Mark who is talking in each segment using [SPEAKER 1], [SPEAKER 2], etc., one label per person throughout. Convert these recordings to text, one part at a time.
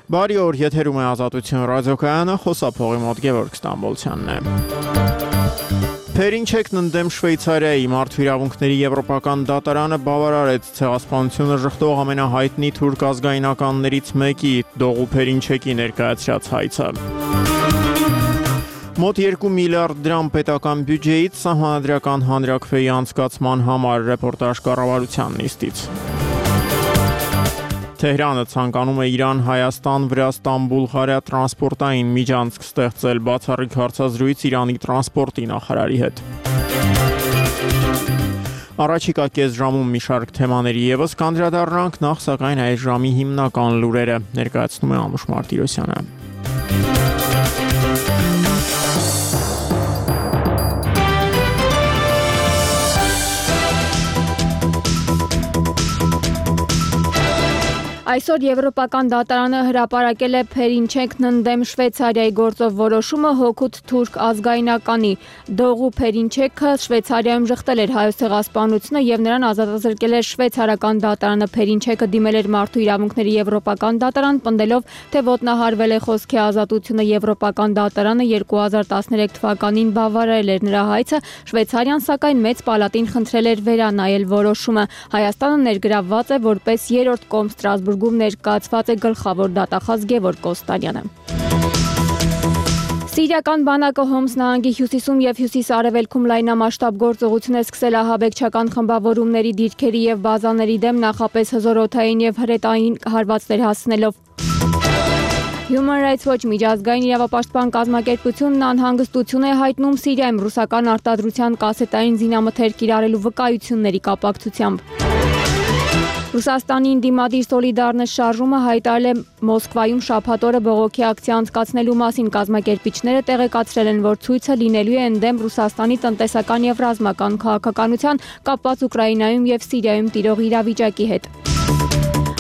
[SPEAKER 1] Բարի օր, եթերում է Ազատություն ռադիոկայանը, խոսափողի մոտ Գևորգ Ստամբոլցյանն է։ Փերինչեկն ընդդեմ Շվեյցարիայի մարդու իրավունքների եվրոպական դատարանը բավարարեց ցեղասպանությունը ժխտող ամենահայտնի թուրք ազգայնականներից մեկի Դողու Փերինչեկի ներկայացրած հայցը։ Մոտ 2 միլիարդ դրամ պետական բյուջեից սահմանադրական հանրաքվեի անցկացման համար ռեպորտաժ կառավարության նիստից։ Թեհրանը ցանկանում է Իրան-Հայաստան-Վրաստան-Բուլղարիա տրանսպորտային միջանցք ստեղծել բացառիկ հարցազրույց Իրանի տրանսպորտի նախարարի հետ։ Առաջիկա կես ժամում մի շարք թեմաների ևս կանդրադառնանք, նախ սակայն այս ժամի հիմնական լուրերը ներկայացնում է Անուշ Մարտիրոսյանը։
[SPEAKER 2] Այսօր Եվրոպական դատարանը հրապարակել է Փերինչեկն ընդդեմ Շվեյցարիայի գործով որոշումը հօգուտ թուրք ազգայնականի Դողու Փերինչեկը Շվեյցարիայում ժխտել էր հայոց ցեղասպանությունը եւ նրան ազատազրկել էր շվեյցարական դատարանը։ Փերինչեկը դիմել էր մարդու իրավունքների Եվրոպական դատարան, պնդելով, թե ոտնահարվել է խոսքի ազատությունը։ Եվրոպական դատարանը 2013 թվականին բավարարել էր նրա հայցը, Շվեյցարիան սակայն մեծ պալատին խնդրել էր վերանայել որոշումը։ Հայաստանը ներգրավված է որպես երրորդ կողմ Ստրասբուրգում ներկայացված է գլխավոր դատախազ Գևորգ Կոստանյանը։ Սիրիական բանակը Հոմս նահանգի հյուսիսում եւ հյուսիս-արևելքում լայնամասշտաբ գործողություն է սկսել ահաբեկչական խմբավորումների դիրքերի եւ բազաների դեմ, նախապես հզորօդային եւ հրետային հարվածներ հասցնելով։ Human Rights Watch միջազգային իրավապաշտպան կազմակերպությունն անհանգստություն է հայտնում Սիրիայում ռուսական արտադրության կասետային զինամթերք կիրառելու վկայությունների կապակցությամբ։ Ռուսաստանի ընդդիմադիր Սոլիդարնես շարժումը հայտարարել է Մոսկվայում շաբաթ օրը բողոքի ակցիա անցկացնելու մասին։ Կազմակերպիչները տեղեկացրել են, որ ցույցը լինելու է ընդդեմ Ռուսաստանի տնտեսական եւ ռազմական քաղաքականության կապված Ուկրաինայում եւ Սիրիայում տիրող իրավիճակի հետ։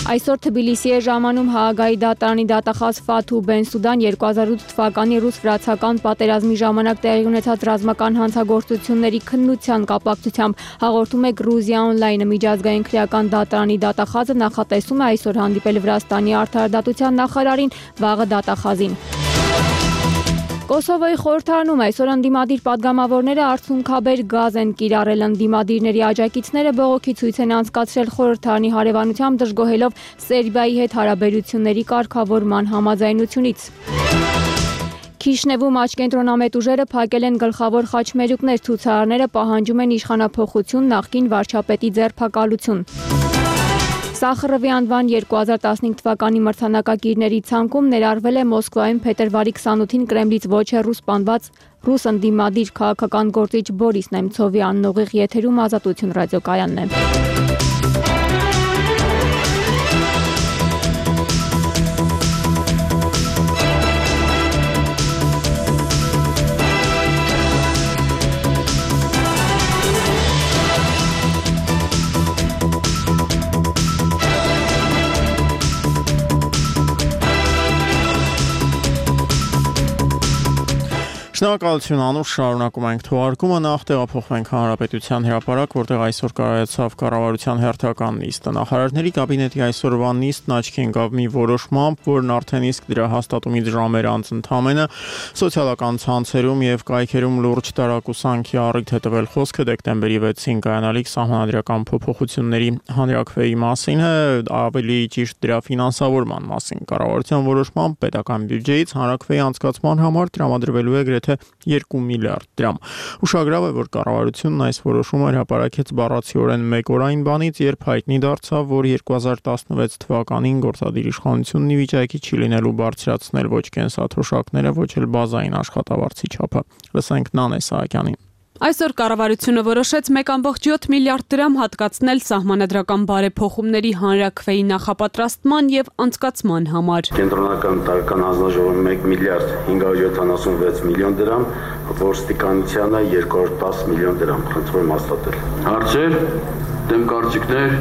[SPEAKER 2] Այսօր Թբիլիսի է ժամանում Հաագայի դատարանի դատախազ Ֆաթու Բենսուդան 2008 թվականի ռուս-վրացական պատերազմի ժամանակ տեղի ունեցած ռազմական հանցագործությունների քննության կապակցությամբ, հաղորդում է Գրուզիա օնլայնը։ Միջազգային քրեական դատարանի դատախազը նախատեսում է այսօր հանդիպել Վրաստանի արդարադատության նախարարին, վաղը դատախազին։ Կոսովոյի խորհրդարանում այսօր ընդդիմադիր падգամավորները արցունքաբեր գազ են կիրառել։ Ընդդիմադիրների աջակիցները բողոքի ցույց են անցկացրել խորհրդարանի հարևանությամբ, դժգոհելով Սերբիայի հետ հարաբերությունների կարգավորման համաձայնությունից։ Քիշնևում աչքենտրոնամետ ուժերը փակել են գլխավոր խաչմերուկներ, ցուցարարները պահանջում են իշխանափոխություն, նախկին վարչապետի ձերբակալություն։ Սախարովի անվան 2015 թվականի մրցանակակիրների ցանկում ներառվել է Մոսկվայում փետրվարի 28-ին Կրեմլից ոչ հեռու սպանված ռուս ընդդիմադիր քաղաքական գործիչ Բորիս Նեմցովի աննողիղ եթերում Ազատություն ռադիոկայանն է։
[SPEAKER 1] Շնորհակալություն Անուշ, շարունակում ենք թողարկումը, նախ տեղափոխվենք Հանրապետության հրապարակ, որտեղ այսօր կայացավ կառավարության հերթական նիստը։ Նախարարների կաբինետի այսօրվա նիստն աչքի ընկավ մի որոշմամբ, որն արդեն իսկ դրա հաստատումից ժամեր անց ընդամենը սոցիալական ցանցերում եւ կայքերում լուրջ տարակուսանքի առիթ է տվել խոսքը դեկտեմբերի 6-ին կայանալիք սահմանադրական փոփոխությունների հանրաքվեի մասին է, ավելի ճիշտ դրա ֆինանսավորման մասին։ Կառավարության որոշմամբ պետական բյուջեից հանրաքվեի անցկացման համար տրամադրվելու է գրեթե 2 միլիարդ դրամ։ Ուշագրավ է, որ կառավարությունն այս որոշումը հրապարակեց բառացիորեն մեկ օր այն բանից, երբ հայտնի դարձավ, որ 2016 թվականին գործադիր իշխանությունն ի վիճակի չի լինելու բարձրացնել ոչ կենսաթոշակները, ոչ էլ բազային աշխատավարձի չափը։ Լսենք Նանե Սահակյանին։
[SPEAKER 3] Այսօր կառավարությունը որոշեց 1.7 միլիարդ դրամ հատկացնել սահմանադրական բարեփոխումների հանրաքվեի նախապատրաստման եւ անցկացման համար։
[SPEAKER 4] Կենտրոնական տարեկան հանձնաժողովը 1 միլիարդ 576 միլիոն դրամ, ոստիկանությանը 210 միլիոն դրամ։ Խնդրում եմ հաստատել։ Հարցեր։ դեմ կարծիքներ,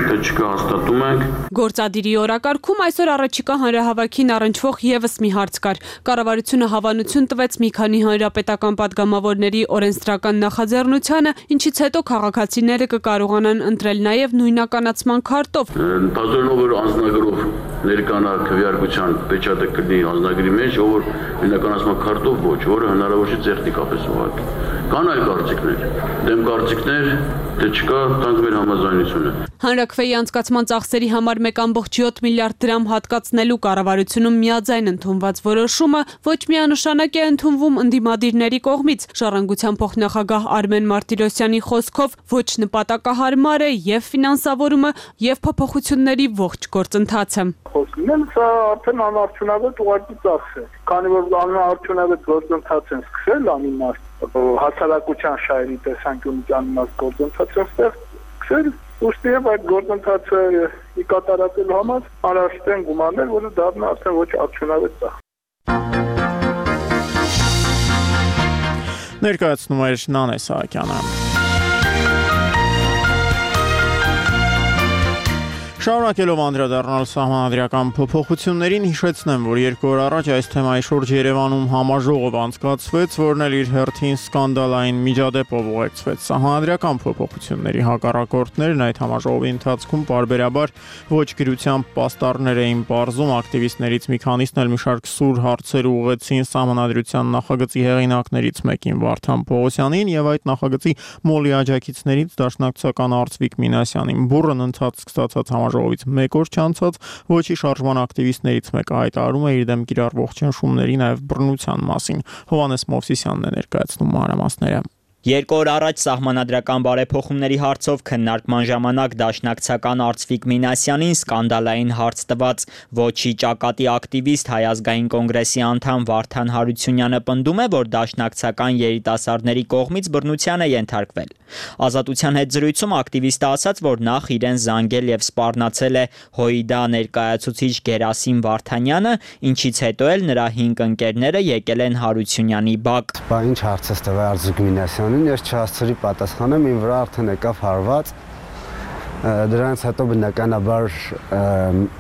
[SPEAKER 4] թե չկա հաստատում ենք։
[SPEAKER 3] Գործադիրի օրակարգում այսօր առաջիկա հանրահավաքին առնչվող եւս մի հարց կար։ Կառավարությունը հավանություն տվեց մի քանի հանրապետական падգամավորների օրենսդրական նախաձեռնությանը, ինչից հետո քաղաքացիները կկարողանան ընտրել նաեւ նույնականացման քարտով։
[SPEAKER 4] Ընդհանրելով որ անձնագրով ներկանա քվեարկության պեչատը կլինի անձնագրի մեջ, ով նույնականացման քարտով ոչ, որը հնարավոր չէ տեխնիկապես ուղղակի։ Կան այլ կարծիքներ, դեմ կարծիքներ, թե չկա, տանք մեր համաձայնությունը։
[SPEAKER 3] Հանրաքվեի անցկացման ծախսերի համար 1.7 միլիարդ դրամ հատկացնելու կառավարությունում միաձայն ընդունված որոշումը ոչ միանշանակ է ընդունվում ընդդիմադիրների կողմից։ Ժառանգության փոխնախագահ Արմեն Մարտիրոսյանի խոսքով ոչ նպատակահարմար է եւ ֆինանսավորումը եւ փոփոխությունների ողջ գործընթացը։
[SPEAKER 5] Խոսքն սա արդեն անարդյունավետ ուղղակի ծախս է, քանի որ անարդյունավետ գործընթաց են սկսել անիմաստ հասարակության շահերի տեսանկյունից անիմաստ գործընթաց են սկսել, ուստի եւ այդ գործընթացը ի կատարելու համար անհրաժեշտ են գումարներ, որը դառնա արդեն ոչ արդյունավետ ծախս։
[SPEAKER 1] Ներկայացնում էր Նանե Սահակյանը։ Շարունակելով անդրադառնալ սահմանադրական փոփոխություններին, հիշեցնեմ, որ 2 օր առաջ այս թեմայի շուրջ Երևանում համաժողով անցկացվեց, որն էլ իր հերթին սկանդալային միջադեպով ուղեկցվեց։ Սահմանադրական փոփոխությունների հակառակորդներն այդ համաժողովի ընթացքում պարբերաբար ոչ գրությամբ պաստառներ էին պարզում, ակտիվիստներից մի քանիսն էլ մի շարք սուր հարցեր ուղղեցին սահմանադրության նախագծի հեղինակներից մեկին Վարդան Պողոսյանին եւ այդ նախագծի մոլի աջակիցներից դաշնակցական Արծվիկ Մինասյանին։ Բուռն ընթացք ստացած ժողովից մեկ օր չանցած ոչի շարժման ակտիվիստներից մեկը հայտարարում է իր դեմ կիրառվող ճնշումների նաև բռնության մասին։ Հովհաննես Մովսիսյանն է ներկայացնում մանրամասները։
[SPEAKER 6] 2 օր առաջ սահմանադրական բարեփոխումների հարցով քննարկման ժամանակ դաշնակցական Արծվիկ Մինասյանին սկանդալային հարց տված ոչի ճակատի ակտիվիստ Հայ ազգային կոնգրեսի անդամ Վարդան Հարությունյանը պնդում է, որ դաշնակցական երիտասարդների կողմից բռնության է ենթարկվել։ Ազատության հետ զրույցում ակտիվիստը ասաց, որ նախ իրեն զանգել եւ սպառնացել է ՀՅԴ ներկայացուցիչ Գերասիմ Վարդանյանը, ինչից հետո էլ նրա 5 ընկերները եկել են Հարությունյանի բակ։
[SPEAKER 7] Բա ինչ հարց է տվել Արծվիկ Մինասյանին, ես չհասցրի պատասխանեմ, իմ վրա արդեն եկավ հարված։ Դրանից հետո բնականաբար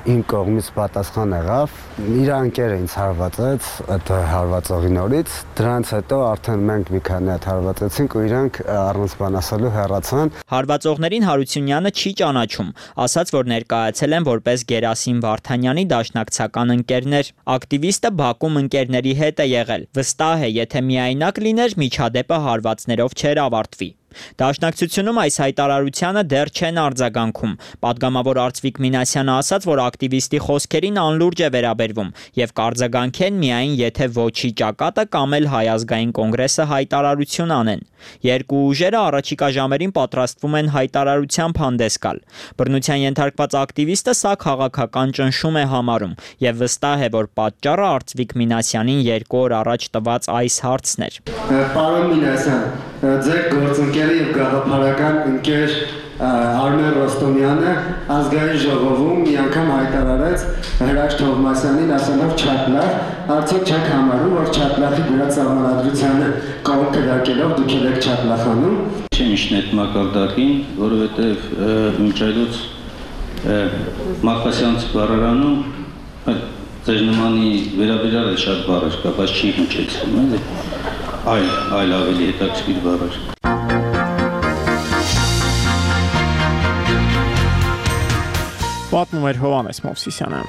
[SPEAKER 7] իմ կողմից պատասխան եղավ։ Իր ընկերը ինձ հարվածեց այդ հարվածողի նորից։ Դրանից հետո արդեն մենք մի քանի հատ հարվածեցինք ու իրանք առանց բան ասելու հեռացան։
[SPEAKER 6] Հարվածողներին Հարությունյանը չի ճանաչում, ասաց, որ ներկայացել են որպես Գերասիմ Վարդանյանի դաշնակցական ընկերներ։ Ակտիվիստը Բաքում ընկերների հետ է եղել։ Վստահ է, եթե միայնակ լիներ, միջադեպը հարվածներով չէր ավարտվի։ Դաշնակցությունում այս հայտարարությանը դեռ չեն արձագանքում։ Պատգամավոր Արծվիկ Մինասյանը ասաց, որ ակտիվիստի խոսքերին անլուրջ է վերաբերվում եւ կարձագանքեն միայն եթե ոչի ճակատը կամ էլ Հայ ազգային կոնգրեսը հայտարարություն անեն։ Երկու ուժերը առաջիկա ժամերին պատրաստվում են հայտարարությամբ հանդես գալ։ Բռնության ենթարկված ակտիվիստը սա քաղաքական ճնշում է համարում եւ վստահ է, որ պատճառը Արծվիկ Մինասյանին 2 օր առաջ տված այս հարցն էր։
[SPEAKER 7] Պարոն Մինասյան, ձեր գործընկերը եւ գաղափարական ընկեր Արմեն Ռոստոմյանը ազգային ժողովում մի անգամ հայտարարեց Հրաշ Թովմասյանին ասելով չապլախ, արդյոք չեք համարում, որ չապլախի դրած սահմանադրությանը կողմ կրակելով դուք եք չապլախանում։
[SPEAKER 8] Չեմ իշն այդ մակարդակին, որովհետև մինչ այլոց Մակասյանց բառարանում ձեր նմանի վերաբերյալ է շատ բառեր կա, բայց չի հնչեցնում, էլի։ Այլ ավելի հետաքրքիր բառեր։
[SPEAKER 1] Պատմում էր Հովհաննես Մովսիսյանը։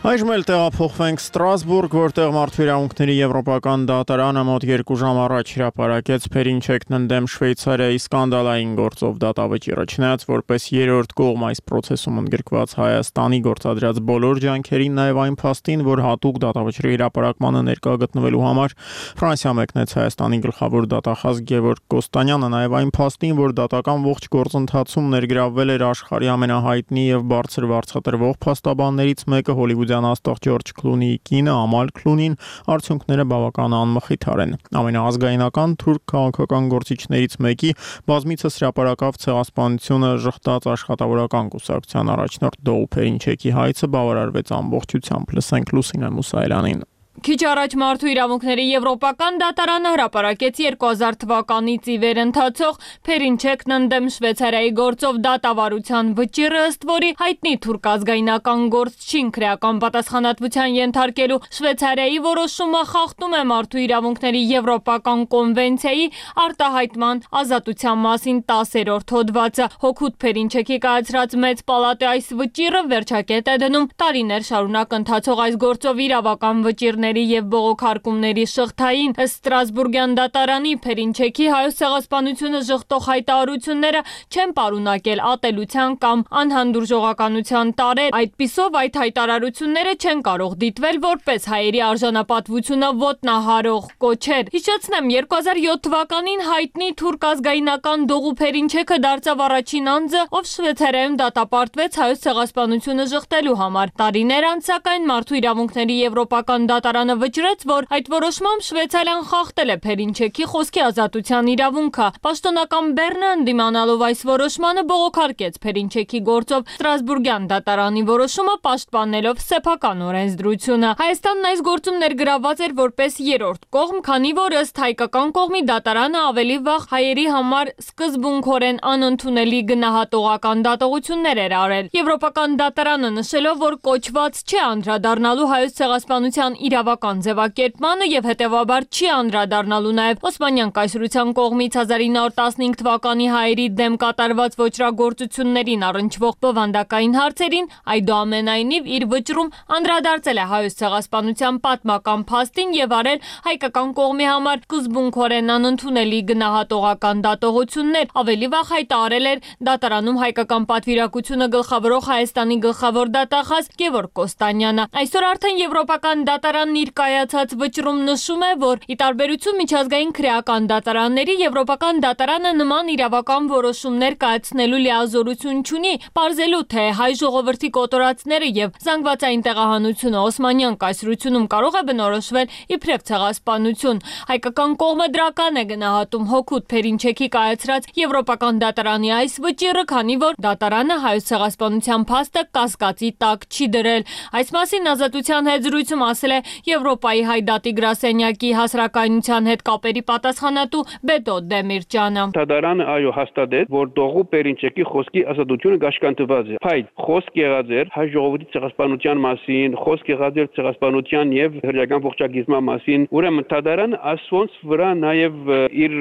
[SPEAKER 1] Այժմ էլ տեղափոխվենք Ստրասբուրգ, որտեղ Մարդու Եվրոպական դատարանը մոտ 2 ժամ առաջ հրապարակեց Փերինչեկն ընդդեմ Շվեյցարիայի սկանդալային գործով դատավճիռը, չնայած որպես երրորդ կողմ այս process-ում ընդգրկված Հայաստանի գործադրած բոլոր ջանքերին, նաև այն փաստին, որ հատուկ դատավճիռի հրապարակմանը ներկա գտնվելու համար Ֆրանսիա մեկնեց Հայաստանի գլխավոր դատախազ Գևորգ Կոստանյանը, նաև այն փաստին, որ դատական ողջ գործընթացում ներգրավվել էր աշխարհի ամենահայտնի եւ բարձր վարձատրվող փաստաբաններից մեկը հոլիվուդյան իրականացող Ջորջ Քլունիի կինը Ամալ Քլունին արդյունքները բավական անմխիթար են։ Ամենաազգայնական թուրք քաղաքական գործիչներից մեկի բազմիցս հրապարակավ ցեղասպանությունը ժխտած աշխատավորական կուսակցության առաջնորդ Դոու Փերինչեկի հայցը բավարարվեց ամբողջությամբ։ Լսենք Լուսինե Մուսայելյանին։
[SPEAKER 9] Քիչ առաջ Մարդու իրավունքների Եվրոպական դատարանը հրապարակեց 2000 թվականից ի վեր ընթացող Փերինչեկն ընդդեմ Շվեյցարիայի գործով դատավարության վճիռը, ըստ որի հայտնի թուրք ազգայնական գործչին քրեական պատասխանատվության ենթարկելու Շվեյցարիայի որոշումը խախտում է Մարդու իրավունքների Եվրոպական կոնվենցիայի արտահայտման ազատության մասին 10-րդ հոդվածը։ Հօգուտ Փերինչեկի կայացրած մեծ պալատի այս վճիռը վերջակետ է դնում տարիներ շարունակ ընթացող այս գործով իրավական վճիռների եւ բողոքարկումների շղթային։ Ըստ Ստրասբուրգյան դատարանի Փերինչեկի հայոց ցեղասպանությունը ժխտող հայտարարությունները չեն պարունակել ատելության կամ անհանդուրժողականության տարեր։ Այդպիսով այդ հայտարարությունները չեն կարող դիտվել որպես հայերի արժանապատվությունը ոտնահարող կոչեր։ Հիշեցնեմ, 2007 թվականին հայտնի թուրք ազգայնական Դողու Փերինչեկը դարձավ առաջին անձը, ով Շվեյցարիայում դատապարտվեց հայոց ցեղասպանությունը ժխտելու համար։ Տարիներ անց սակայն Մարդու իրավունքների Եվրոպական դատարանը վճռեց, որ այդ որոշմամբ Շվեյցարիան խախտել է Փերինչեկի խոսքի ազատության իրավունքը։ Պաշտոնական Բեռնը ընդդիմանալով այս որոշմանը բողոքարկեց Փերինչեկի գործով Ստրասբուրգյան դատարանի որոշումը, պաշտպանելով սեփական օրենսդրությունը։ Հայաստանն այս գործում ներգրավված էր որպես երրորդ կողմ, քանի որ ըստ հայկական կողմի դատարանը ավելի վաղ հայերի համար սկզբունքորեն անընդունելի գնահատողական դատողություններ էր արել։ Եվրոպական դատարանը նշելով, որ կոչված չի անդրադառնալու հայոց ցեղասպանության իրավական ձևակերպմանը եւ հետեւաբար չի անդրադառնալու նաեւ Օսմանյան կայսրության կողմից 1915 թվականի հայերի դեմ կատարված ոճրագործություններին առնչվող բովանդակային հարցերին, այդուամենայնիվ իր վճռում անդրադարձել է հայոց ցեղասպանության պատմական փաստին եւ արել հայկական կողմի համար սկզբունքորեն անընդունելի գնահատողական դատողություններ։ Ավելի վաղ հայտարարել էր դատարանում հայկական պատվիրակությունը գլխավորող Հայաստանի գլխավոր դատախազ Գևորգ Կոստանյանը։ Այսօր արդեն Եվրոպական դատարանն իր կայացած վճռում նշում է, որ ի տարբերություն միջազգային քրեական դատարանների, Եվրոպական դատարանը նման իրավական որոշումներ կայացնելու լիազորություն չունի, պարզելու թե հայ ժողովրդի կոտորածները եւ զանգվածային տեղահանությունը Օսմանյան կայսրությունում կարող է բնորոշվել իբրև ցեղասպանություն։ Հայկական կողմը դրական է գնահատում հօգուտ Փերինչեկի կայացրած Եվրոպական դատարանի այս վճիռը, քանի որ դատարանը հայոց ցեղասպանության փաստը կասկածի տակ չի դրել։ Այս մասին Ազատության հետ զրույցում ասել է Եվրոպայի հայ դատի գրասենյակի հասարակայնության հետ կապերի պատասխանատու Բեդո Դեմիրճյանը։
[SPEAKER 10] Դատարանը այո հաստատեց, որ Դողու Փերինչեկի խոսքի ազատությունը գաշկանտված է։ Բայց խոսք եղած էր հայ ժողովրդի ցեղասպանության մասին, խոսք եղած էր ցեղասպանության եւ հրեական ողջագիզման մասին։ Ուրեմն դատարանը ասոնց վրա նաեւ իր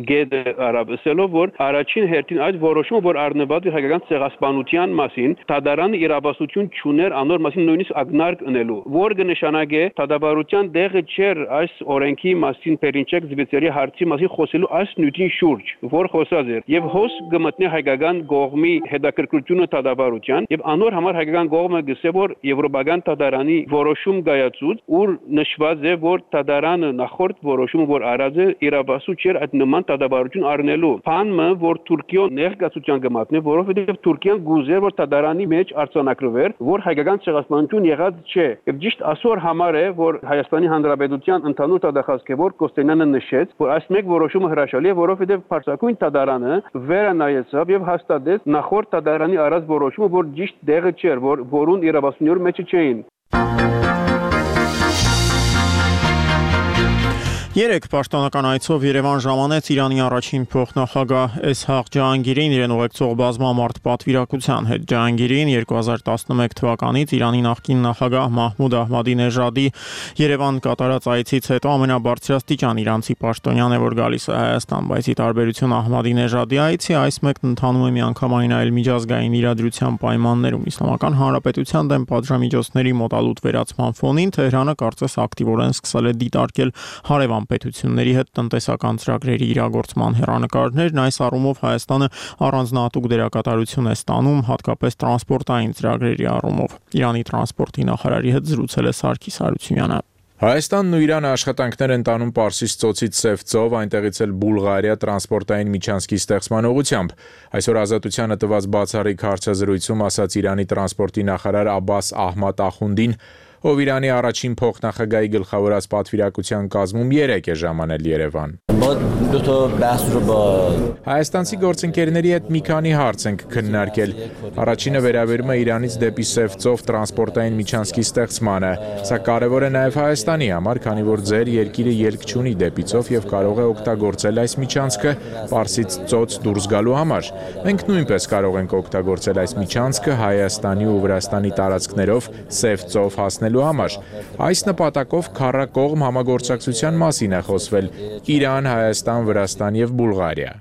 [SPEAKER 10] գեդը արաբսելով, որ առաջին հերթին այդ որոշումը, որ առնված է հայկական ցեղասպանության մասին, դատարանը իրավասություն չուներ անոր մասին նույնիսկ ակնարկ ընելու, որ կնշանակե դատավարության դեղը չէր այս օրենքի մասին Փերինչեկ Զվեյցարիայի հարցի մասին խոսելու այս նյութին շուրջ, որ խոսած էր եւ հոս կմտնի հայկական կողմի հետաքրքրությունը դատավարության եւ անոր համար հայկական կողմը գսե որ Եվրոպական դատարանի որոշում կայացուց, ուր նշված է որ դատարանը նախորդ որոշումը որ արած է իրավասու չէր այդ նման դատավարություն առնելու։ Բանը որ Թուրքիան ներկայացության կմատնի, որովհետեւ Թուրքիան գուզեր որ դատարանի մեջ արձանագրվեր, որ հայկական ցեղասպանություն եղած չէ։ Եվ ճիշտ այսօր համար է որ Հայաստանի Հանրապետության ընդհանուր դատախազը որ Կոստանյանը նշեց, որ այս մեկ որոշումը հրաշալի է, որովհետև Փարսակույն դատարանը վերանայեցավ եւ հաստատեց նախորդ դատարանի արած որոշումը, որ ճիշտ դեղը չէր, որուն իրավասունյորը մեջը չէին։
[SPEAKER 1] Երեք պաշտոնական այցով Երևան ժամանեց Իրանի առաջին փոխնախագահ Էսհաղ Ջահանգիրին իրեն ուղեկցող բազմամարդ պատվիրակության հետ։ Ջահանգիրին 2011 թվականից Իրանի նախկին նախագահ Մահմուդ Ահմադինեժադի Երևան կատարած այցից հետո ամենաբարձրաստիճան իրանցի պաշտոնյան է, որ գալիս է Հայաստան, բայց ի տարբերություն Ահմադինեժադի այցի, այս մեկն ընթանում է միանգամայն այլ միջազգային իրադրության պայմաններում։ Իսլամական Հանրապետության դեմ պատժամիջոցների մոտալուտ վերացման ֆոնին Թեհրանը կարծես ակտիվորեն սկսել է դիտարկել հարևան պետությունների հետ տնտեսական ծրագրերի իրագործման հեռանկարներն։ Այս առումով Հայաստանը առանձնահատուկ դերակատարություն է ստանում, հատկապես տրանսպորտային ծրագրերի առումով։ Իրանի տրանսպորտի նախարարի հետ զրուցել է Սարգիս Հարությունյանը։
[SPEAKER 11] Հայաստանն ու Իրանը աշխատանքներ են տանում Պարսից ծոցից Սև ծով, այնտեղից էլ Բուլղարիա տրանսպորտային միջանցքի ստեղծման ուղղությամբ։ Այսօր Ազատությանը տված բացառիկ հարցազրույցում ասաց Իրանի տրանսպորտի նախարար Աբբաս Ահմադ Ախունդին, ով Իրանի առաջին փոխնախագահի գլխավորած պատվիրակության կազմում 3 է ժամանել Երևան։ Հայաստանցի գործընկերների հետ մի քանի հարց ենք քննարկել։ Առաջինը վերաբերում է Իրանից դեպի Սև ծով տրանսպորտային միջանցքի ստեղծմանը։ Սա կարևոր է նաև Հայաստանի համար, քանի որ ձեր երկիրը ելք չունի դեպի ծով եւ կարող է օգտագործել այս միջանցքը Պարսից ծոց դուրս գալու համար։ Մենք նույնպես կարող ենք օգտագործել այս միջանցքը Հայաստանի ու Վրաստանի տարածքներով Սև ծով հասնելու համար։ Այս նպատակով քառակողմ համագործակցության մասին է խոսվել Իրան, Հայաստան, Վրաստան եւ Բուլղարիա։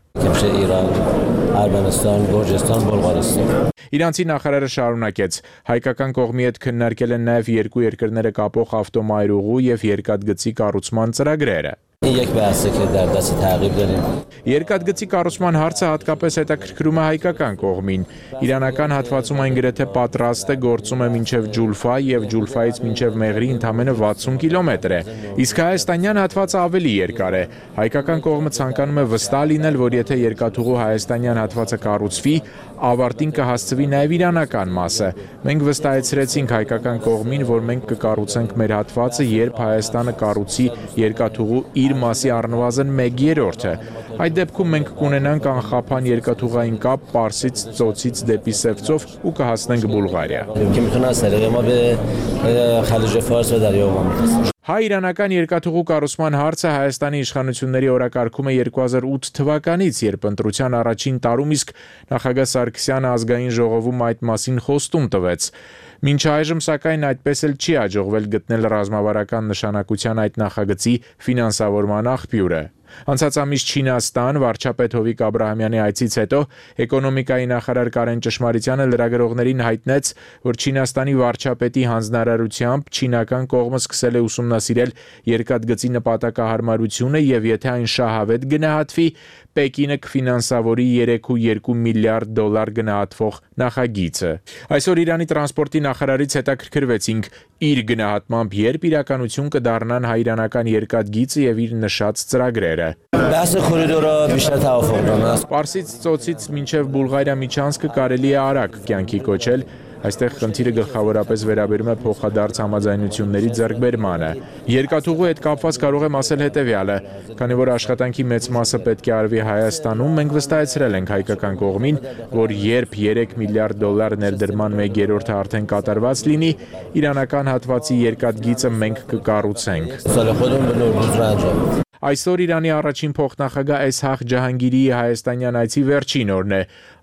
[SPEAKER 11] Իրանցի նախարարը շարունակեց. հայկական կողմի հետ քննարկել են նաև երկու երկրները կապող ավտոմայրուղու եւ երկաթգծի կառուցման ծրագրերը։ Երկաթգծի կառուցման հարցը հատկապես հետաքրքրում է հայկական կողմին։ Իրանական հատվածում այն գրեթե պատրաստ է, գործում է մինչև Ջուլֆա եւ Ջուլֆայից մինչև Մեղրի ընդամենը 60 կիլոմետր է։ Իսկ հայաստանյան հատվածը ավելի երկար է։ Հայկական կողմը ցանկանում է վստահ լինել, որ եթե երկաթուղու հայաստանյան հատվածը կառուցվի, ավարտին կհասցվի նաև իրանական մասը։ Մենք վստահեցրեցինք հայկական կողմին, որ մենք կկառուցենք մեր հատվածը, երբ Հայաստանը կառուցի երկաթուղու իր մասի առնվազն 1/3-ը։ Այդ դեպքում մենք կունենանք անխափան երկաթուղային կապ Պարսից ծոցից դեպի Սև ծով ու կհասնենք Բուլղարիա։ Հայ-իրանական երկաթուղու կառուցման հարցը Հայաստանի իշխանությունների օրակարգում է 2008 թվականից, երբ ընտրության առաջին տարում իսկ նախագահ Սարգսյանը ազգային ժողովում այդ մասին խոստում տվեց։ Մինչ այժմ սակայն այդպես էլ չի հաջողվել գտնել ռազմավարական նշանակության այդ նախագծի ֆինանսավորման աղբյուրը։ Անցած ամիս Չինաստան վարչապետ Հովիկ Աբրահամյանի այցից հետո էկոնոմիկայի նախարար Կարեն Ճշմարիտյանը լրագրողներին հայտնեց, որ Չինաստանի վարչապետի հանձնարարությամբ չինական կողմը սկսել է ուսումնասիրել երկաթգծի նպատակահարմարությունը եւ եթե այն շահավետ գնահատվի, Պեկինը կֆինանսավորի 3.2 միլիարդ դոլար գնահատվող նախագիծը։ Այսօր Իրանի տրանսպորտի նախարարից հետաքրքրվեցինք իր գնահատմամբ երբ իրականություն կդառնան հայ-իրանական երկաթգիծը եւ իր նշած ծրագրերը։ Պարսից ծոցից մինչև Բուլղարիա միջանցքը կարելի է արագ կյանքի կոչել։ Այստեղ խնդիրը գլխավորապես վերաբերում է փոխադարձ համաձայնությունների ձեռքբերմանը։ Երկաթուղու հետ կապված կարող եմ ասել հետևյալը. քանի որ աշխատանքի մեծ մասը պետք է արվի Հայաստանում, մենք վստահեցրել ենք հայկական կողմին, որ երբ 3 միլիարդ դոլար ներդրման 1/3-ը արդեն կատարված լինի, իրանական հատվածի երկաթգիծը մենք կկառուցենք։ Այսօր Իրանի առաջին փոխնախագահ Էսհաղ Ջահանգիրիի հայաստանյան այցի վերջին օրն է։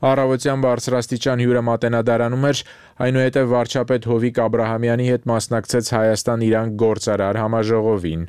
[SPEAKER 11] Առավոտյան բարձրաստիճան հյուրը մատենադարանում էր, այնուհետև վարչապետ Հովիկ Աբրահամյանի հետ մասնակցեց Հայաստան-Իրան գործարար համաժողովին։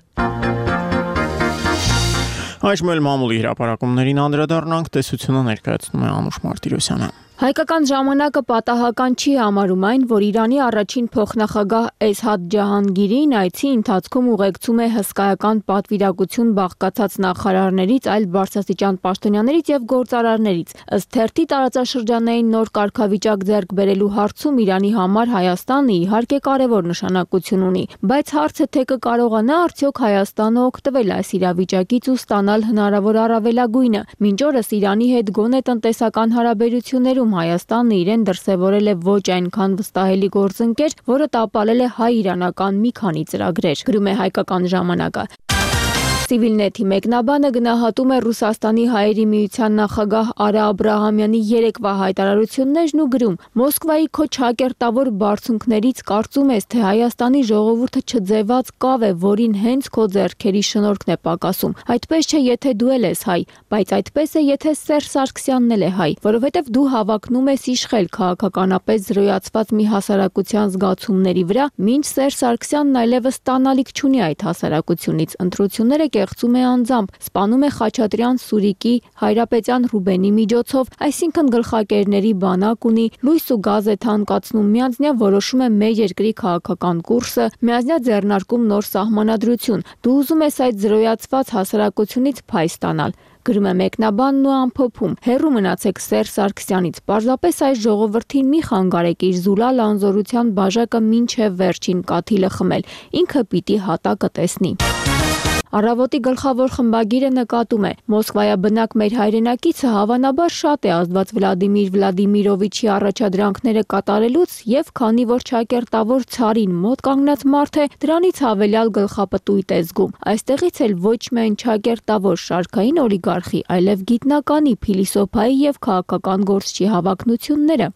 [SPEAKER 1] Այժմ էլ մամուլի հրապարակումներին անդրադառնանք, տեսությունը ներկայացնում է Անուշ Մարտիրոսյանը։
[SPEAKER 2] Հայկական ժամանակը պատահական չի համարում այն, որ Իրանի առաջին փոխնախագահ Էսհաղ Ջահանգիրին այցի ընթացքում ուղեկցում է հսկայական պատվիրակություն բաղկացած նախարարներից, այլ բարձրաստիճան պաշտոնյաներից եւ գործարարներից։ Ըստ թերթի տարածաշրջանային նոր կարգավիճակ ձեռք բերելու հարցում Իրանի համար Հայաստանը իհարկե կարևոր նշանակություն ունի, բայց հարցը թե կկարողանա արդյոք Հայաստանը օգտվել այս իրավիճակից ու ստանալ հնարավոր առավելագույնը։ Մինչ օրս Իրանի հետ գոնե տնտեսական հարաբերություններում Հայաստանը իրեն դրսևորել է ոչ այնքան վստահելի գործընկեր, որը տապալել է հայ-իրանական մի քանի ծրագրեր, գրում է Հայկական ժամանակը։ Civilnet-ի մեկնաբանը գնահատում է Ռուսաստանի հայերի միության նախագահ Արա Աբրահամյանի երեկվա հայտարարություններն ու գրում. Մոսկվայի քո չակերտավոր բարձունքներից կարծում ես, թե Հայաստանի ժողովուրդը չձևած կավ է, որին հենց քո ձեռքերի շնորհքն է պակասում։ Այդպես չէ, եթե դու ես հայ, բայց այդպես է, եթե Սերժ Սարգսյանն էլ է հայ, որովհետև դու հավակնում ես իշխել քաղաքականապես զրոյացված մի հասարակության զգացումների վրա, մինչ Սերժ Սարգսյանն այլևս տանալիք չունի այդ հասարակությունից։ Ընտրությունները կեղծում է անձամբ, սպանում է Խաչատրյան Սուրիկի, Հայրապետյան Ռուբենի միջոցով, այսինքն գլխակերների բանակ ունի, լույս ու գազ է թանկացնում, միանձնյա որոշում է մեր երկրի քաղաքական կուրսը, միանձնյա ձեռնարկում նոր սահմանադրություն։ Դու ուզում ես այդ զրոյացված հասարակությունից փայ ստանալ։ Գրում է մեկնաբանն ու ամփոփում. հեռու մնացեք Սերժ Սարգսյանից, պարզապես այս ժողովրդին մի խանգարեք իր զուլալ անզորության բաժակը մինչև վերջին կաթիլը խմել, ինքը պիտի հատակը տեսնի։ Առավոտի գլխավոր խմբագիրը նկատում է. Մոսկվայաբնակ մեր հայրենակիցը հավանաբար շատ է ազդված Վլադիմիր Վլադիմիրովիչի առաջադրանքները կատարելուց եւ քանի որ ճակերտավոր ցարին մոտ կանգնած մարդ է, դրանից հավելյալ գլխապտույտ է զգում։ Այստեղից էլ ոչ միայն ճակերտավոր շարքային օլիգարխի, այլև գիտնականի, փիլիսոփայի եւ քաղաքական գործչի հավակնությունները։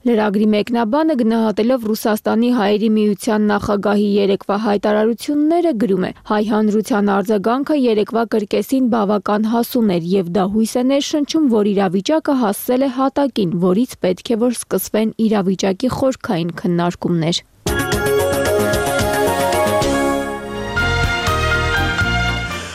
[SPEAKER 2] Լրագրի մեկնաբանը գնահատելով Ռուսաստանի հայերի միության նախագահի երեկվա հայտարարությունները գրում է. հայ հանրության արձագանքը երեկվա կրկեսին բավական հասուն էր եւ դա հույս է ներշնչում, որ իրավիճակը հասել է հատակին, որից պետք է որ սկսվեն իրավիճակի խորքային քննարկումներ։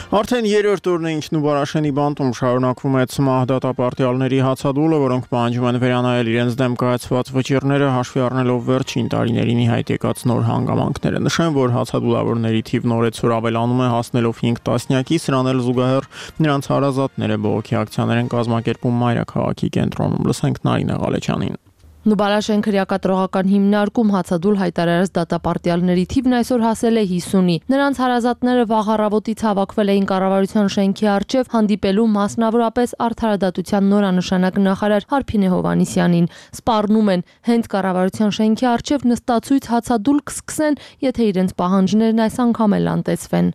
[SPEAKER 1] Արդեն երրորդ օրն է Ինքնուբարաշենի բանտում շարունակվում է ՑՄԱՀ դատապարտյալների հացադուլը, որոնք պահանջում են վերանայել իրենց դեմ կայացված վճիռները հաշվի առնելով վերջին տարիներին ի հայտ եկած նոր հանգամանքները։ Նշեմ, որ հացադուլավորների թիվն օրեցօր ավելանում է հասնելով 5 տասնյակի, սրան էլ զուգահեռ նրանց հարազատները բողոքի ակցիաներ են կազմակերպում մայրաքաղաքի կենտրոնում։ Լսենք Նարինե Ղալեչյանին։
[SPEAKER 12] Նուբարաշեն քրեակատրողական հիմնարկում հացադուլ հայտարարած դատապարտյալների թիվն այսօր հասել է 50-ի։ Նրանց հարազատները վաղ առավոտից հավաքվել էին կառավարության շենքի առջև հանդիպելու մասնավորապես արդարադատության նորանշանակ նախարար Հարփինե Հովհաննիսյանին։ Սպառնում են, հենց կառավարության շենքի առջև նստացույց հացադուլ կսկսեն, եթե իրենց պահանջներն այս անգամ էլ անտեսվեն։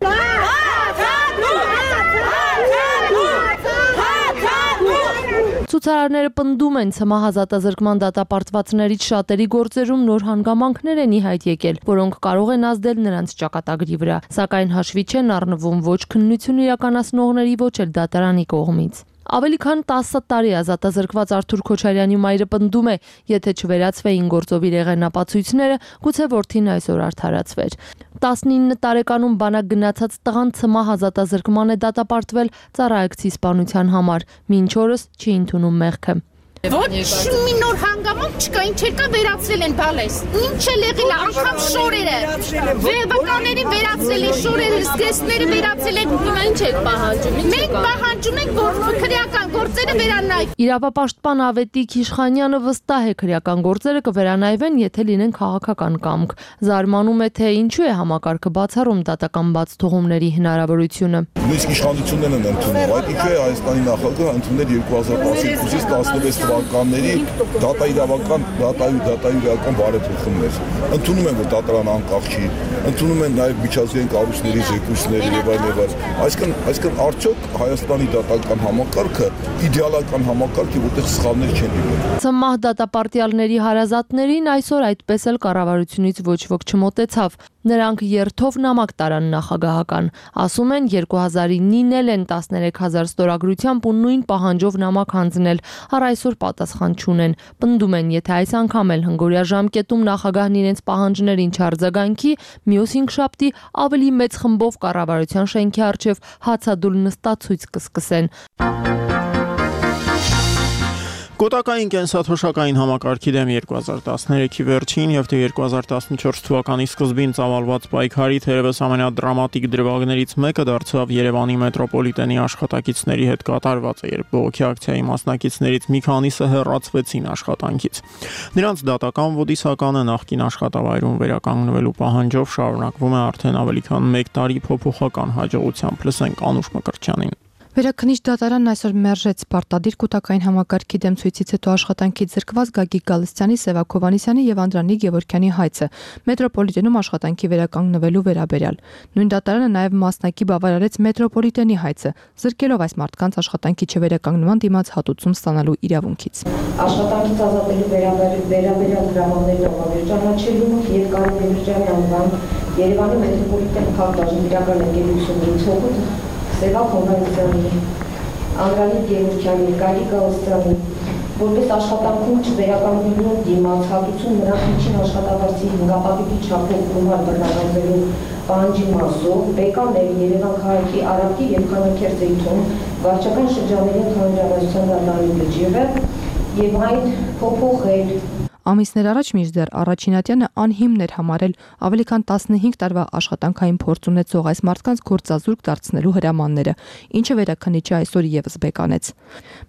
[SPEAKER 12] Ցուցարարները պնդում են ՑՄԱՀ ազատազրկման դատապարտվածներից շատերի գործերում նոր հանգամանքներ են ի հայտ եկել, որոնք կարող են ազդել նրանց ճակատագրի վրա, սակայն հաշվի չեն առնվում ոչ քննություն իրականացնողների, ոչ էլ դատարանի կողմից։ Ավելի քան 10 տարի ազատազրկված Արթուր Քոչարյանի մայրը պնդում է, եթե չվերացվեին գործով իր եղենապացույցները, գուցե որդին այսօր արդարացվեր։ 19 տարեկանում բանակ գնացած տղան ՑՄԱՀ ազատազրկման է դատապարտվել ծառայեկցի սպանության համար, մինչ օրս չի ընդունում մեղքը։
[SPEAKER 13] Ոչ մի նոր հանգամանք չկա, ինչ եկա վերացրել են բալես։ Ինչ էլ եղել է, անգամ շորերը։ Վեբականներին վերացրել են շորերը, զգեստները վերացրել են, հիմա ինչ եք պահանջում։ Մենք պահանջում ենք, որ քրեական գործերը վերանայվեն։
[SPEAKER 12] Իրավապաշտպան Ավետիք Իշխանյանը վստահ է քրեական գործերը կվերանայվեն, եթե լինեն քաղաքական կամք։ Զարմանում է, թե ինչու է համակարգը բացառում դատական բաց թողումների հնարավորությունը։
[SPEAKER 14] Նույնիսկ իշխանություններն են ընդունում, այդ ինչու է Հայաստանի նախագահը ընդունել 2012-ից 16 թվականների դատաիրական բարեփոխումներ։ Ընդունում են, որ դատարանը անկախ չի, ընդունում են նաև միջազգային կառույցների զեկույցները եւ այլն։ Այսինքն արդյոք Հայաստանի դատական համակարգը իդեալական համակարգ է, որտեղ սխալներ չեն լինում։
[SPEAKER 12] ՑՄԱՀ դատապարտյալների հարազատներին այսօր այդպես էլ կառավարությունից ոչ ոք չմոտեցավ։ Նրանք երթով նամակ տարան նախագահական։ Ասում են 2009-ին էլ են 13000 ստորագրությամբ ու նույն պահանջով նամակ հանձնել, առ այսօր պատասխան չունեն։ Պնդում են, եթե այս անգամ էլ հնգորյա ժամկետում նախագահն իրենց պահանջներին չարձագանքի, մյուս հինգշաբթի ավելի մեծ խմբով կառավարության շենքի առջև հացադուլ նստացույց կսկսեն։
[SPEAKER 1] Կոտակային կենսաթոշակային համակարգի դեմ 2013-ի վերջին եւ 2014 թվականի սկզբին ծավալված պայքարի թերևս ամենադրամատիկ դրվագներից մեկը դարձավ Երևանի մետրոպոլիտենի աշխատակիցների հետ կատարվածը, երբ բողոքի ակցիայի մասնակիցներից մի քանիսը հեռացվեցին աշխատանքից։ Նրանց դատական ոդիսականը նախկին աշխատավայրում վերականգնվելու պահանջով շարունակվում է արդեն ավելի քան 1 տարի փոփոխական հաջողությամբ։ Լսենք Անուշ Մկրտչյանին։
[SPEAKER 15] Վերաքննիչ դատարանն այսօր մերժեց պարտադիր կուտակային համակարգի դեմ ցույցից հետո աշխատանքից զրկված Գագիկ Գալստյանի, Սևակ Հովհաննիսյանի եւ Անդրանիկ Գևորգյանի հայցը մետրոպոլիտենում աշխատանքի վերականգնվելու վերաբերյալ։ Նույն դատարանը նաեւ մասնակի բավարարեց մետրոպոլիտենի հայցը, զրկելով այս մարդկանց աշխատանքի չվերականգնման դիմաց հատուցում ստանալու իրավունքից։
[SPEAKER 16] Աշխատանքից ազատելու վերաբերյալ դրամաների տողավեր ճանաչելու եւ Կարեն Գևորգյանի անվան Երևանի մետրոպոլիտեն քաղաքական իրական ընկերությունների ցողունը Սևակ Հովհաննիսյանի, Անդրանիկ Գևորգյանի, Գագիկ Գալստյանի, որպես աշխատանքում չվերականգնելու դիմաց հատուցում նրանց միջին աշխատավարձի հնգապատիկի չափով գումար բռնականվելու պահանջի մասով Բեկաներ Երևան քաղաքի Արաբկի եւ Խանաքերթի թվում վարչական շրջանների ընդհանրավարության դատարանի վճիռը եւ այն փոփոխել։
[SPEAKER 15] Ամիսներ առաջ մինչդեռ Առաջինատյանը անհիմն էր համարել ավելի քան 15 տարվա աշխատանքային փորձ ունեցող այս մարդկանց գործազուրկ դարձնելու հրամանները, ինչը վերաքննիչը այսօր եւս բեկանեց։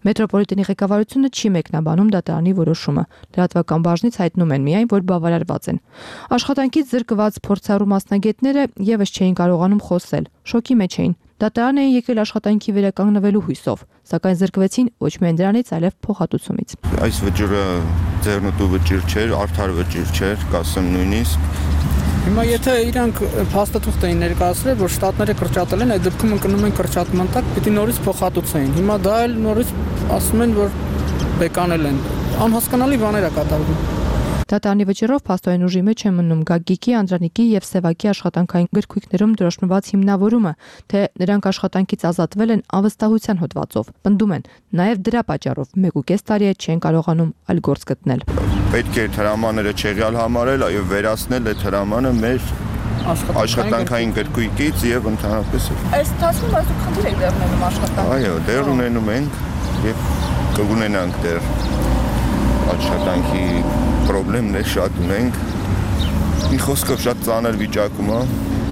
[SPEAKER 15] Մետրոպոլիտենի ղեկավարությունը չի մեկնաբանում դատարանի որոշումը։ Լրատվական բաժնից հայտնում են միայն, որ բավարարված են։ Աշխատանքից զրկված փորձառու մասնագետները եւս չէին կարողանում խոսել, շոկի մեջ էին։ Դատարան էին եկել աշխատանքի վերականգնվելու հույսով, սակայն զրկվեցին ոչ միայն դրանից, այլև փոխհատուցումից։
[SPEAKER 17] Այս վճիռը ձեռնտու վճիռ չէր, արդար վճիռ չէր, կասեմ նույնիսկ։
[SPEAKER 18] Հիմա եթե իրանք փաստաթուղթ էին ներկայացրել, որ շտատները կրճատել են, այդ դեպքում ընկնում են կրճատման տակ, պիտի նորից փոխհատուցեին։ Հիմա դա էլ նորից ասում են, որ բեկանել են։ Անհասկանալի բաներ է կատարվում։
[SPEAKER 15] Դատարանի վճռով փաստորեն ուժի մեջ է մնում Գագիկի, Անդրանիկի եւ Սևակի աշխատանքային գրքույկներում դրոշմված հիմնավորումը, թե նրանք աշխատանքից ազատվել են անվստահության հոդվածով։ Պնդում են, նաեւ դրա պատճառով 1.5 տարի է չեն կարողանում այլ գործ գտնել։
[SPEAKER 17] Պետք է հրամանները չեղյալ համարել, այո, վերացնել այդ հրամանը մեր աշխատանքային գրքույկից եւ ընդհանրապես։
[SPEAKER 19] Այս տասում այսօր խնդիր եք դեռ ունենում աշխատանք։
[SPEAKER 17] Այո, դեռ ունենում ենք եւ կունենանք դեռ աշխատանքի պրոբլեմներ շատ ունենք։ Մի խոսքով շատ ծանր վիճակում է։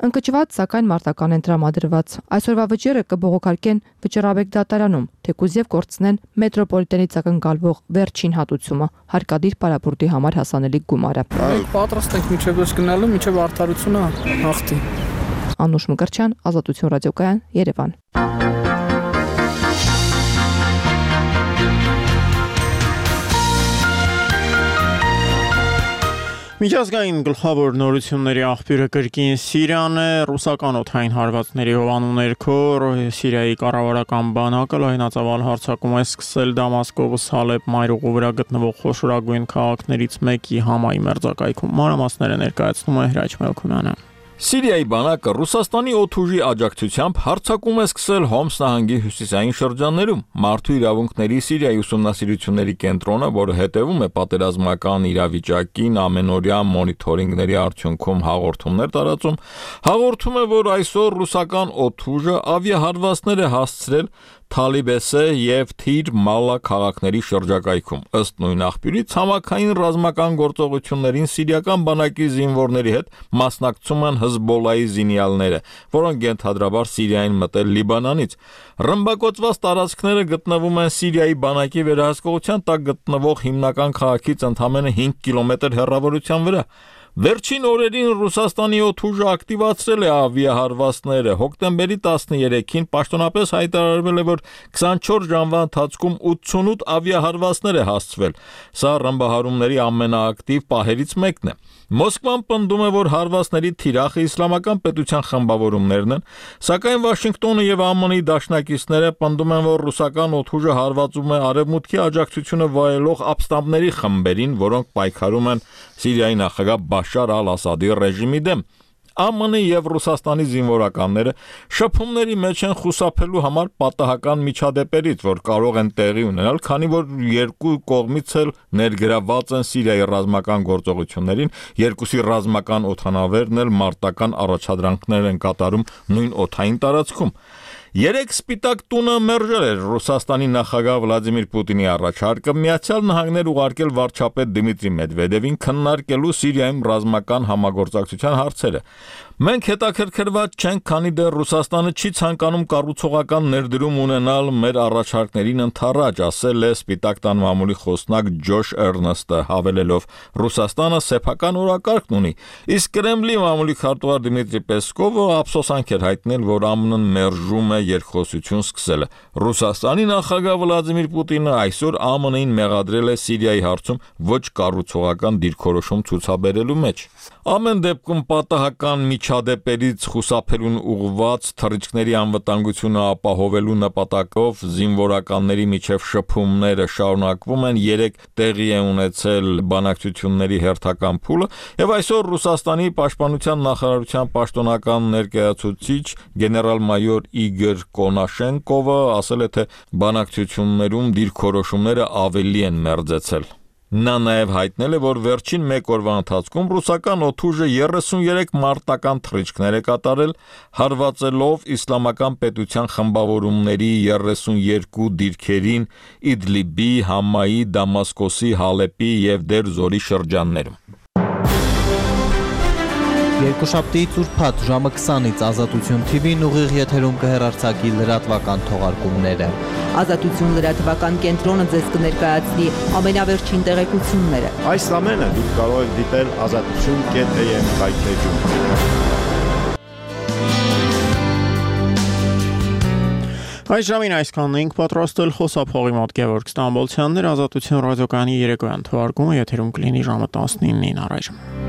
[SPEAKER 15] Ընկճված, սակայն մարտական են տրամադրված։ Այսօրվա վճիռը կբողոքարկեն վճռաբեկ դատարանում, թեկուզ եւ կորցնեն մետրոպոլիտենից ակնկալվող վերջին հատուցումը, հարկադիր պարապուրտի համար հասանելի գումարը։
[SPEAKER 18] Մենք պատրաստ ենք մինչև դուրս գնալու, մինչև արդարությունը հաղթի։
[SPEAKER 15] Անուշ Մկրտչյան, Ազատություն ռադիոկայան, Երևան։
[SPEAKER 1] Միջազգային գլխավոր նորությունների աղբյուրը կրկին Սիրիան է, ռուսական օդային հարվածների հովանու ներքո Սիրիայի կառավարական բանակը լայնածավալ հարձակում է սկսել Դամասկովս Հալեբ մայրուղու վրա գտնվող խոշորագույն քաղաքներից մեկի համայի մերձակայքում։ Մանրամասները ներկայացնում է Հրաչ Մելքումյանը։
[SPEAKER 20] Սիրիայի բանակը Ռուսաստանի օդուժի աջակցությամբ հարձակում է սկսել Հոմս նահանգի հյուսիսային շրջաններում։ Մարդու իրավունքների Սիրիայի ուսումնասիրությունների կենտրոնը, որը հետևում է պատերազմական իրավիճակին ամենօրյա մոնիթորինգների արդյունքում հաղորդումներ տարածում, հաղորդում է, որ այսօր ռուսական օդուժը ավիահարվածներ է հասցրել Թալիբեսե եւ Թիր Մալա քաղաքների շրջակայքում։ Ըստ նույն աղբյուրի, ցամաքային ռազմական գործողություններին սիրիական բանակի զինվորների հետ մասնակցում են Հզբոլայի զինյալները, որոնք ենթադրաբար Սիրիային մտել Լիբանանից։ Ռմբակոծված տարածքները գտնվում են Սիրիայի բանակի վերահսկողության տակ գտնվող հիմնական քաղաքից ընդամենը 5 կիլոմետր հեռավորության վրա։ Վերջին օրերին Ռուսաստանի օդուժը ակտիվացրել է ավիահարվածները։ Հոկտեմբերի 13-ին պաշտոնապես հայտարարվել է, որ 24 ժամվա ընթացքում 88 ավիահարվածներ է հասցվել։ Սա ռմբահարումների ամենաակտիվ պահերից մեկն է։ Մոսկվան պնդում է, որ հարվածների թիրախը իսլամական պետության խմբավորումներն են, սակայն Վաշինգտոնը եւ ԱՄՆ-ի դաշնակիցները պնդում են, որ ռուսական օդուժը հարվածում է արևմուտքի աջակցությունը վայելող ապստամբների խմբերին, որոնք պայքարում են Սիրիայի նախագահ Բաշար al-Ասադի ռեժիմի դեմ։ ԱՄՆ-ի եւ Ռուսաստանի զինվորականները շփումների մեջ են խուսափելու համար պատահական միջադեպերից, որ կարող են տեղի ունենալ, քանի որ երկու կողմից էլ ներգրավված են Սիրիայի ռազմական գործողություններին, երկուսի ռազմական օդանավերն էլ մարտական առաջադրանքներ են կատարում նույն օդային տարածքում։ Երեք Սպիտակ տունը մերժել էր Ռուսաստանի նախագահ Վլադիմիր Պուտինի առաջարկը Միացյալ Նահանգներ ուղարկել վարչապետ Դիմիտրի Մեդվեդևին քննարկելու Սիրիայում ռազմական համագործակցության հարցերը։ Մենք հետաքրքրված չենք, քանի դեռ Ռուսաստանը չի ցանկանում կառուցողական ներդրում ունենալ մեր առաջարկներին ընդառաջ, ասել է Սպիտակ տան մամուլի խոսնակ Ջոշ Էրնստը, հավելելով. Ռուսաստանը սեփական օրակարգ ունի, իսկ Կրեմլի մամուլի քարտուղար Դիմիտրի Պեսկովը ափսոսանք էր հայտնել, որ ԱՄՆ-ն մերժում է երկխոսություն սկսելը։ Ռուսաստանի նախագահ Վլադիմիր Պուտինը այսօր ԱՄՆ-ին մեղադրել է Սիրիայի հարցում ոչ կառուցողական դիրքորոշում ցուցաբերելու մեջ։ Ամեն դեպքում պատահական միջադեպերից խուսափելուն ուղղված թռիչքների անվտանգությունը ապահովելու նպատակով զինվորականների միջև շփումները շարունակվում են, 3 տեղի է ունեցել բանակցությունների հերթական փուլը, եւ այսօր Ռուսաստանի պաշտպանության նախարարության պաշտոնական ներկայացուցիչ գեներալ-մայոր Իգոր Կոնաշենկովը ասել է, թե բանակցություններում դիրքորոշումները ավելի են մերձեցել։ Նա նաև հայտնել է, որ վերջին 1 օրվա ընթացքում ռուսական օդուժը 33 մարտական թռիչքներ է կատարել, հարվածելով իսլամական պետության խմբավորումների 32 դիրքերին Իդլիբի, Համայի, Դամասկոսի, Հալեպի և Դեր Զորի շրջաններում։
[SPEAKER 21] Երկուշաբթի ծուրփաթ ժամը 20-ից Ազատություն TV-ն ուղիղ եթերում կհեռարձակի լրատվական թողարկումները։
[SPEAKER 22] Ազատություն լրատվական կենտրոնը ձեզ կներկայացնի ամենավերջին տեղեկությունները։
[SPEAKER 23] Այս ամենը դուք կարող եք դիտել azatutun.am հայթեջում։
[SPEAKER 1] Այս ժամին այսքանն ենք պատրաստել խոսափողի մոտ Գևորգ Ստամբոլցյաններ, Ազատություն ռադիոկայանի երեկոյան թողարկումը եթերում կլինի ժամը 19-ին առայժմ։